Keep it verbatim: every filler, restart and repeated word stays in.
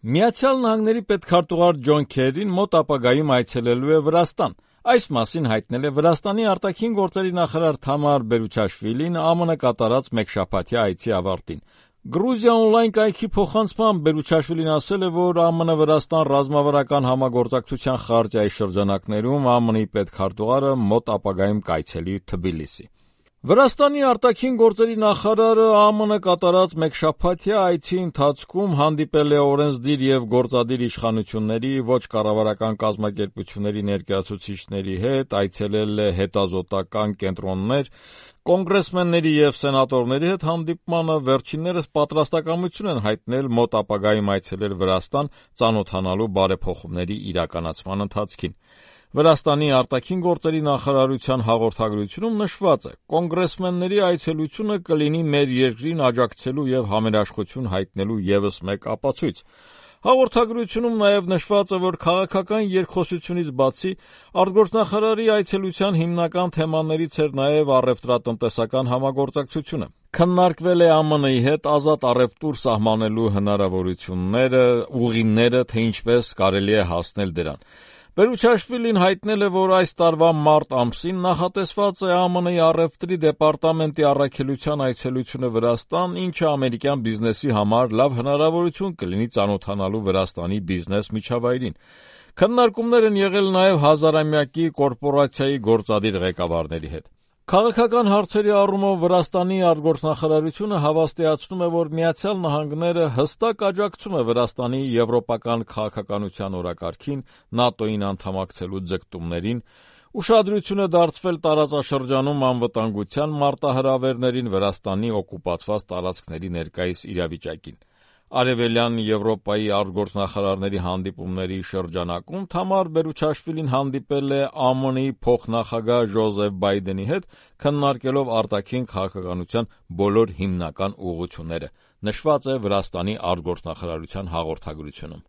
Միացյալ Նահանգների պետքարտուղար Ջոն Քերին մոտ ապագայում այցելելու է Վրաստան։ Այս մասին հայտնել է Վրաստանի արտաքին գործերի նախարար Թամար Բերուչաշվիլին ԱՄՆ կատարած մեկշաբաթյա այցի ավարտին։ Գրուզիա օնլայն կայքի փոխանցմամբ Բերուչաշվիլին ասել է, որ ԱՄՆ-Վրաստան ռազմավարական համագործակցության խարտիայի շրջանակներում ԱՄՆ-ի պետքարտուղարը մոտ ապագայում կայցելի Թբիլիսի։ Վրաստանի արտաքին գործերի նախարարը ԱՄՆ կատարած մեկշաբաթյա այցի ընթացքում հանդիպել է օրենսդիր և գործադիր իշխանությունների, ոչ կառավարական կազմակերպությունների ներկայացուցիչների հետ, այցելել է հետազոտական կենտրոններ, կոնգրեսմենների և սենատորների հետ հանդիպմանը վերջիններս պատրաստակամություն են հայտնել մոտ ապագայում այցելել Վրաստան ծանոթանալու բարեփոխումների իրականացման ընթացքին։ Վրաստանի արտաքին գործերի նախարարության հաղորդագրությունում նշված է. «Կոնգրեսմենների այցելությունը կլինի մեր երկրին աջակցելու և համերաշխություն հայտնելու ևս մեկ ապացույց»։ Հաղորդագրությունում նաև նշված է, որ քաղաքական երկխոսությունից բացի արտգործնախարարի այցելության հիմնական թեմաներից էր նաև առևտրատնտեսական համագործակցությունը։ Քննարկվել է ԱՄՆ-ի հետ ազատ առևտուր սահմանելու հնարավորությունները, ուղիները, թե ինչպես կարելի է հասնել դրան։ Բերուչաշվիլին հայտնել է, որ այս տարվա մարտ ամսին նախատեսված է ԱՄՆ-ի առևտրի դեպարտամենտի առաքելության այցելությունը Վրաստան, ինչը ամերիկյան բիզնեսի համար լավ հնարավորություն կլինի ծանոթանալու Վրաստանի բիզնես միջավայրին։ Քննարկումներ են եղել նաև հազարամյակի կորպորացիայի գործադիր ղեկավարների հետ։ Քաղաքական հարցերի առումով Վրաստանի արտգործնախարարությունը հավաստիացնում է, որ Միացյալ Նահանգները հստակ աջակցում է Վրաստանի եվրոպական քաղաքականության օրակարգին, ՆԱՏՕ-ին անդամակցելու ձգտումներին, ուշադրություն է դարձվել տարածաշրջանում անվտանգության մարտահրավերներին, Վրաստանի օկուպացված տարածքների ներկայիս իրավիճակին։ Արևելյան Եվրոպայի արտգործնախարարների հանդիպումների շրջանակում Թամար Բերուչաշվիլին հանդիպել է ԱՄՆ-ի փոխնախագահ Ջոզեֆ Բայդենի հետ, քննարկելով արտաքին քաղաքականության բոլոր հիմնական ուղղությունները, նշված է Վրաստանի արտգործնախարարության հաղորդագրությունում։